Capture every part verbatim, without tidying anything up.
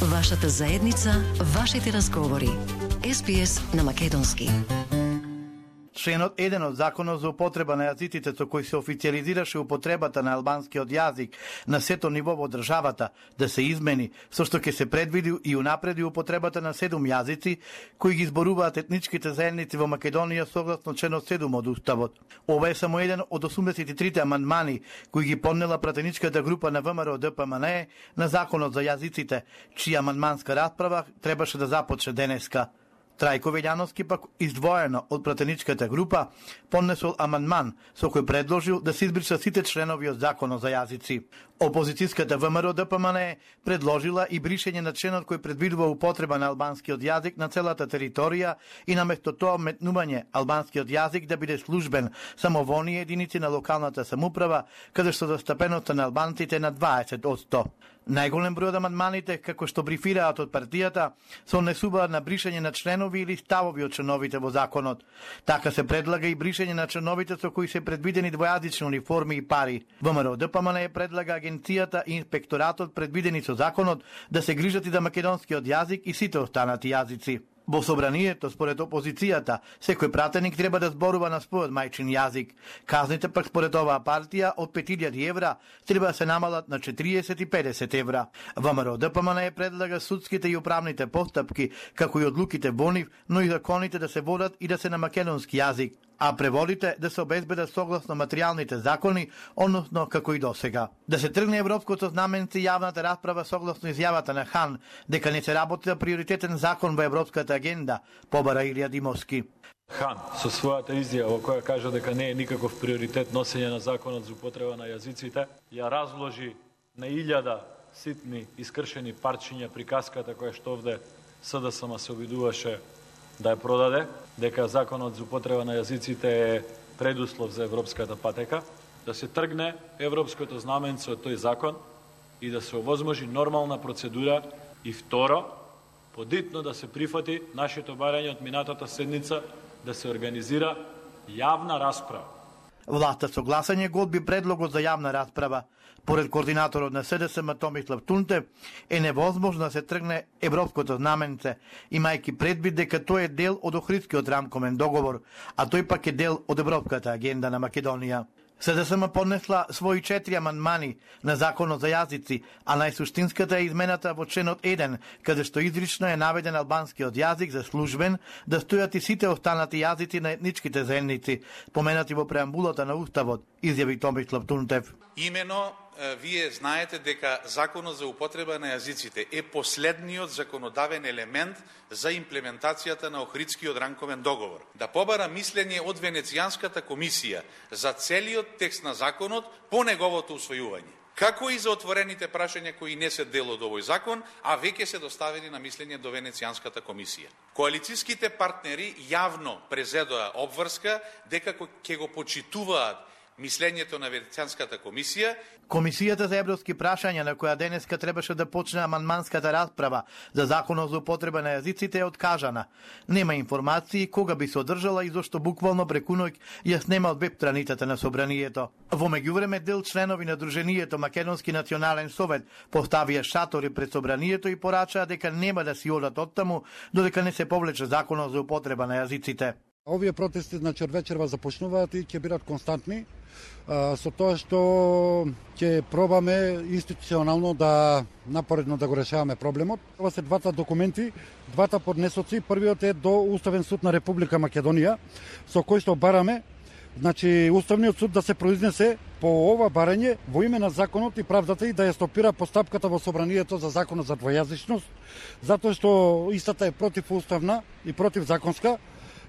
Вашата заедница, вашите разговори. Ес Би Ес на македонски. Членот еден од Законот за употреба на јазиците со кој се официализираше употребата на албанскиот јазик на сето ниво во државата да се измени, со што ќе се предвиди и унапреди употребата на седум јазици кои ги зборуваат етничките заедници во Македонија согласно членот седум од Уставот. Ова е само еден од осумдесет и трите амандмани кои ги поднела пратеничката група на ВМРО Д П М Н Е на Законот за јазиците, чија амандманска расправа требаше да започне денеска. Трајко Велјановски пак издвоено од пратеничката група поднесол амандман со кој предложил да се избришат сите членови од Законот за јазици. Опозицијската ВМРО Д П М Н Е предложила и бришење на членот кој предвидува употреба на албанскиот јазик на целата територија и наместо тоа метнување албанскиот јазик да биде службен само во оние единици на локалната самоуправа каде што застапеноста на албанците на дваесет одсто. Најголем број од амандманите, како што брифираат од партијата, се однесуваат на бришење на членови или ставови од членовите во законот. Така се предлага и бришење на членовите со кои се предвидени двојазични униформи и пари. ВМРО Д П М Н Е предлага агенцијата и инспекторатот предвидени со законот да се грижат и за македонскиот јазик и сите останати јазици. Во собранието, според опозицијата, секој пратеник треба да зборува на својот мајчин јазик. Казните пак според оваа партија од пет илјади евра треба да се намалат на четириесет и педесет евра. ВМРО Д П М Н Е предлага судските и управните постапки, како и одлуките во нив, но и законите да се водат и да се на македонски јазик, а преводите да се обезбедат согласно материјалните закони, односно како и досега. Да се тргне европското знаменце јавната расправа согласно изјавата на Хан дека не се работи за приоритетен закон во европската агенда, побара Илија Димовски. Хан со својата изјава која кажа дека не е никаков приоритет носење на законот за употреба на јазиците, ја разложи на илјада ситни искршени парчиња приказката која што овде С Д С М се обидуваше да ја продаде, дека законот за употреба на јазиците е предуслов за европската патека, да се тргне европското знаменце од тој закон и да се овозможи нормална процедура и второ, подитно да се прифати нашето барање од минатата седница да се организира јавна расправа. Власта со гласање го одби предлогот за јавна расправа. Поред координаторот на С Д С М Томислав Тунтев е невозможно да се тргне европското знаменце, имајќи предвид дека тој е дел од Охридскиот рамковен договор, а тој пак е дел од европската агенда на Македонија. С Д С М поднесла своји четири амандмани на законот за јазици, а најсуштинската е измената во членот еден, каде што изрично е наведен албанскиот јазик за службен, да стојат и сите останати јазици на етничките заедници, поменати во преамбулата на Уставот, изјави Томислав Тунтев. Имено, вие знаете дека законот за употреба на јазиците е последниот законодавен елемент за имплементацијата на Охридскиот рамковен договор. Да побара мислење од Венецијанската комисија за целиот текст на законот по неговото усвојување, како и за отворените прашања кои не се дел од овој закон, а веќе се доставени на мислење до Венецијанската комисија. Коалицијските партнери јавно презедоа обврска дека ќе го почитуваат мислењето на Венецијанската комисија. Комисијата за европски прашања, на која денеска требаше да почне амандманската расправа за законот за употреба на јазиците, е откажана. Нема информации кога би се одржала и зашто буквално преку ноќ ја снема од веб страницата на собранието. Во меѓувреме дел членови на Друженијето Македонски национален совет поставија шатори пред собранието и порачаа дека нема да си одат оттаму додека не се повлече законот за употреба на јазиците. Овие протести, значи, од вечерва започнуваат и ќе бидат константни, а, со тоа што ќе пробаме институционално да напоредно да го решаваме проблемот. Ова се двата документи, двата поднесоци. Првиот е до Уставен суд на Република Македонија, со кој што бараме, значи, Уставниот суд да се произнесе по ова барање во име на законот и правдата и да ја стопира постапката во собранието за законот за двојазичност, затоа што истата е противуставна и противзаконска,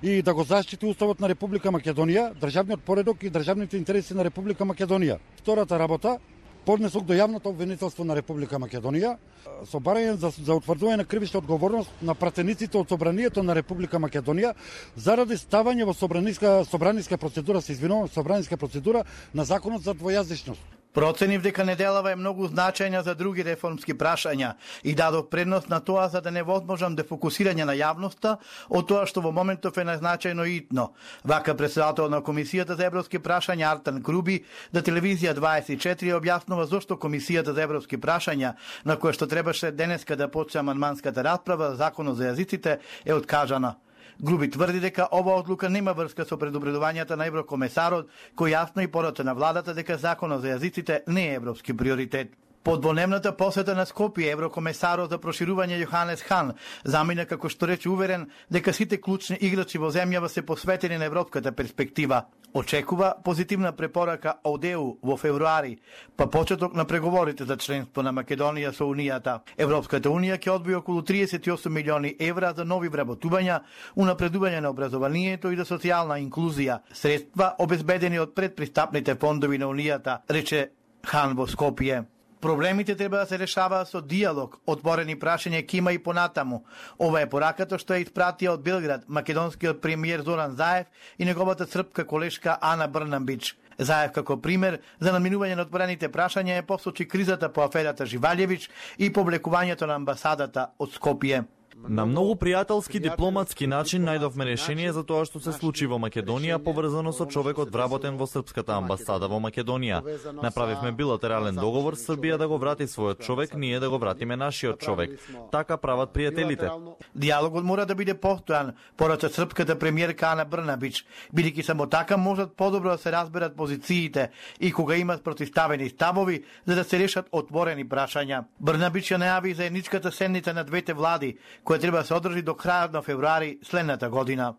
и да го заштити Уставот на Република Македонија, државниот поредок и државните интереси на Република Македонија. Втората работа, поднесок до јавното обвинителство на Република Македонија со барање за, за утврдување на кривична одговорност на пратениците од собранието на Република Македонија заради ставање во собраниска собраниска процедура, се извинувам, собраниска процедура на законот за двојазичност. Проценив дека неделава е многу значајна за други реформски прашања и дадов предност на тоа за да не возможам дефокусирање на јавноста од тоа што во моментов е најзначајно и итно. Вака председател на Комисијата за европски прашања Артан Круби да телевизија дваесет и четири објаснува зошто Комисијата за европски прашања, на која што требаше денеска да почне амандманската расправа за законот за јазиците, е откажана. Груби тврди дека ова одлука нема врска со предупредувањата на еврокомесарот, кој јасно и порака на владата дека законот за јазиците не е европски приоритет. По двоневната посета на Скопје, еврокомесарот за проширување Јоханес Хан замина како што рече уверен дека сите клучни играчи во земјава се посветени на европската перспектива. Очекува позитивна препорака од Е У во февруари, па почеток на преговорите за членство на Македонија со Унијата. Европската Унија ќе одвои околу триесет и осум милиони евра за нови вработувања, унапредување на образованието и за социјална инклузија, средства обезбедени од предпристапните фондови на Унијата, рече Хан во Скопје. Проблемите треба да се решаваат со диалог, отворени прашања ќе има и понатаму. Ова е пораката што ја испратија од Белград македонскиот премиер Зоран Заев и неговата српска колешка Ана Брнабич. Заев како пример за наминување на отворените прашања е посочи кризата по аферата Живалјевич и повлекувањето на амбасадата од Скопје. На многу пријателски дипломатски начин најдовме решение за тоа што се случи во Македонија поврзано со човекот вработен во српската амбасада во Македонија. Направивме билатерален договор Србија да го врати својот човек, ние да го вратиме нашиот човек. Така прават пријателите. Диалогот мора да биде постојан, порача српската премиерка Ана Брнабич, бидејќи само така можат подобро да се разберат позициите и кога имат противставени ставови за да се решат отворени прашања. Брнабич ја најави заедничката седница на двете влади, која треба да се одржи до крајот на февруари следната година.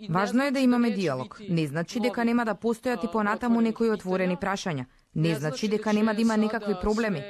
Важно е да имаме диалог. Не значи дека нема да постојат и понатаму некои отворени прашања. Не значи дека нема да има некакви проблеми,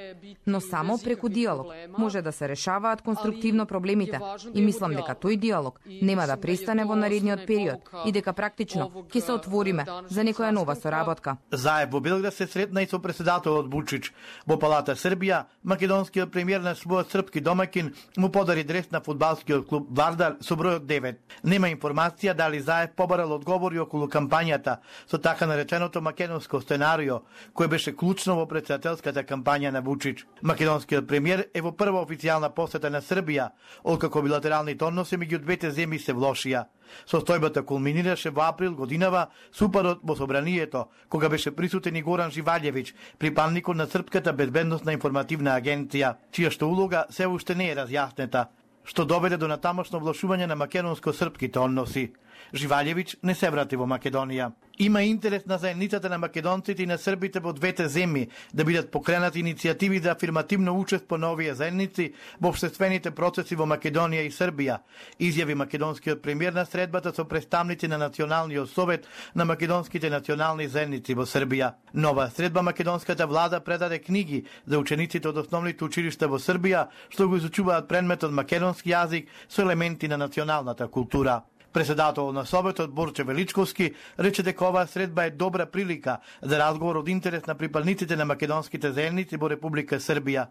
но само преку диалог може да се решаваат конструктивно проблемите и мислам дека тој диалог нема да престане во наредниот период и дека практично ќе се отвориме за некоја нова соработка. Заев во Белград се сретна и со председателот Вучич. Во Палата Србија, македонскиот премиер на својот српски домакин му подари дрес на фудбалскиот клуб Вардар со бројот девет. Нема информација дали Заев побарал одговори околу кампањата со така нареченото македонско сценарио, кој беше клучно во председателската кампања на Вучич. Македонскиот премиер е во прва официјална посета на Србија, откако билатералните односи меѓу двете земји се влошија. Состојбата кулминираше во април годинава со упадот во собранието, кога беше присутен и Горан Живалјевич, припадникот на Српската безбедносна информативна агенција, чија што улога се уште не е разјаснета, што доведе до натамошно влошување на македонско-српските односи. Живалјевич не се врати во Македонија. Има интерес на заедницата на македонците и на србите во двете земји да бидат покренати иницијативи за афирмативно учество на овие заедници во општествените процеси во Македонија и Србија, изјави македонскиот премиер на средбата со представници на Националниот совет на македонските национални заедници во Србија. Нова средба македонската влада предаде книги за учениците од основните училишта во Србија што го изучуваат предметот македонски јазик со елементи на националната култура. Председател на Советот Борче Величковски рече дека оваа средба е добра прилика за разговор од интерес на припадниците на македонските заедници во Република Србија.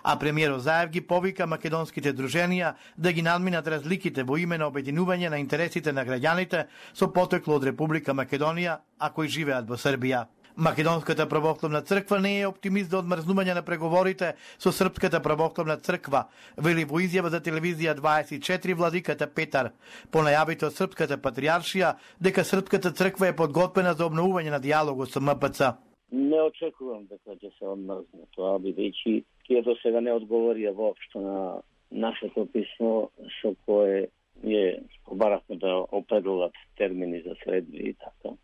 А премиерот Заев ги повика македонските друженија да ги надминат разликите во име на обединување на интересите на граѓаните со потекло од Република Македонија, а кои живеат во Србија. Македонската православна црква не е оптимист за одмрзнување на преговорите со Српската православна црква, вели во изјава за телевизија дваесет и четири владиката Петар, по најавите од Српската патријаршија дека Српската црква е подготвена за обновување на диалогот со М П Ц. Не очекувам дека ќе се одмрзне тоа, бидејќи тие до сега не одговорија воопшто на нашето писмо со кое ние побарахме да определат термини за средби и така.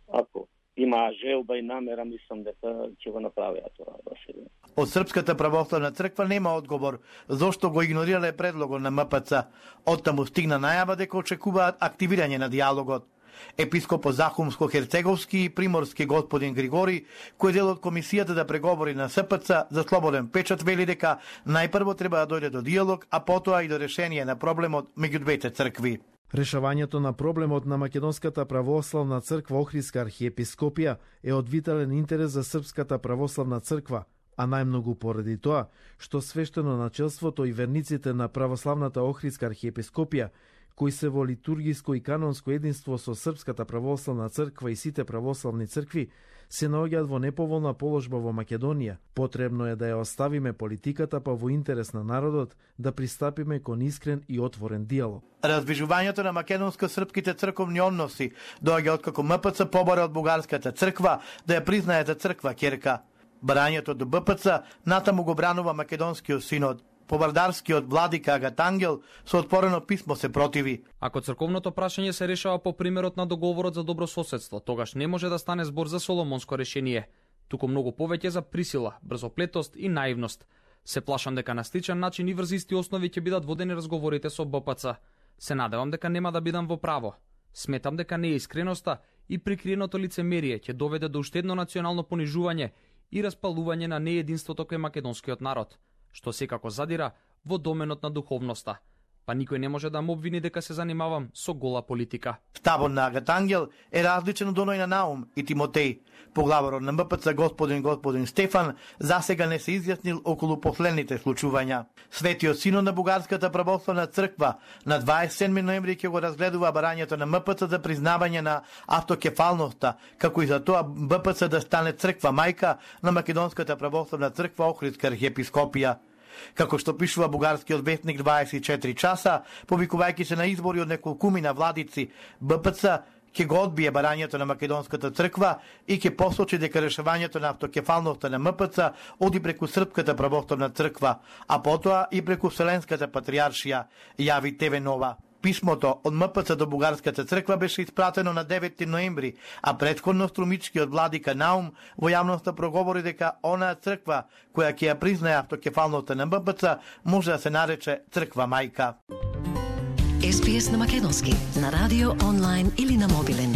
Ако има желба и намера, мислам дека ќе го направиат тоа до сега. Од Српската православна црква нема одговор зошто го игнорирале предлогот на М П Ц. Оттаму стигна најава дека очекуваат активирање на диалогот. Епископот Захумско-Херцеговски и Приморски господин Григори, кој е дел од комисијата за преговори на С П Ц за слободен печат, вели дека најпрво треба да дојде до диалог, а потоа и до решение на проблемот меѓу двете цркви. Решавањето на проблемот на Македонската православна црква Охридска архиепископија е од витален интерес за Српската православна црква, а најмногу поради тоа што свештено начелството и верниците на православната Охридска архиепископија кои се во литургиско и канонско единство со Српската православна црква и сите православни цркви, се наоѓаат во неповолна положба во Македонија. Потребно е да ја оставиме политиката, па во интерес на народот да пристапиме кон искрен и отворен диалог. Раздвижувањето на македонско-српските црковни односи доаѓа откако М П Ц побара од бугарската црква да ја признае за црква ќерка. Барањето до Б П Ц натаму го бранува македонскиот синод. Повардарскиот владика Агат Ангел со отворено писмо се противи. Ако црковното прашање се решава по примерот на договорот за добрососедство, тогаш не може да стане збор за соломонско решение, туку многу повеќе за присила, брзоплетост и наивност. Се плашам дека на сличен начин и врз исти основи ќе бидат водени разговорите со Б П Ц. Се надевам дека нема да бидам во право. Сметам дека неискреноста и прикриеното лицемерие ќе доведе до уште едно национално понижување и распалување на неединството кај македонскиот народ, што секако задира во доменот на духовноста. Па никој не може да ме обвини дека се занимавам со гола политика. Ставот на Агат Ангел е различен од оној на Наум и Тимотеј. Поглаварот на М П Ц господин господин Стефан засега не се изјаснил околу последните случувања. Светиот синод на Бугарската православна црква на дваесет и седми ноември ќе го разгледува барањето на М П Ц за признавање на автокефалноста, како и за тоа Б П Ц да стане црква мајка на Македонската православна црква Охридска архиепископија. Како што пишува бугарскиот вестник дваесет и четири часа, повикувајќи се на избори од неколкумина владици, Б П Ц ќе го одбие барањето на Македонската црква и ќе посочи дека решавањето на автокефалноста на М П Ц оди преку Српската православна црква, а потоа и преку Вселенската патриаршија, јави Т В Нова. Писмото од М П Ц до Бугарската црква беше испратено на девети ноември, а претходно струмичкиот владика Наум во јавноста проговори дека онаа црква која ќе ја признае автокефалноста на М П Ц може да се нарече црква мајка. С П С на македонски, на радио, онлайн или на мобилен.